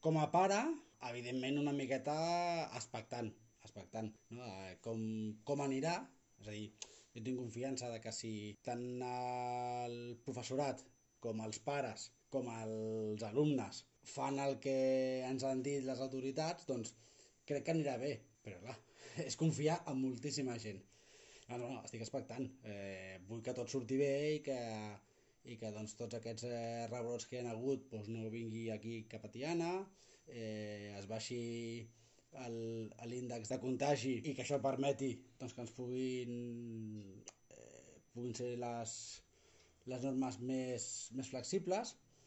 Com a pare, evidentment una miqueta expectant, no? Com anirà, és a dir, jo tinc confiança de que si tant el professorat com els pares com els alumnes fan el que ens han dit les autoritats, doncs crec que anirà bé, però clar, és confiar en moltíssima gent. No, estic expectant. Vull que tot surti bé i que doncs, tots aquests rebrots que hi ha hagut doncs, no vingui aquí cap a Tiana, es baixi l'índex de contagi i que això permeti doncs, que ens puguin ser les normes més flexibles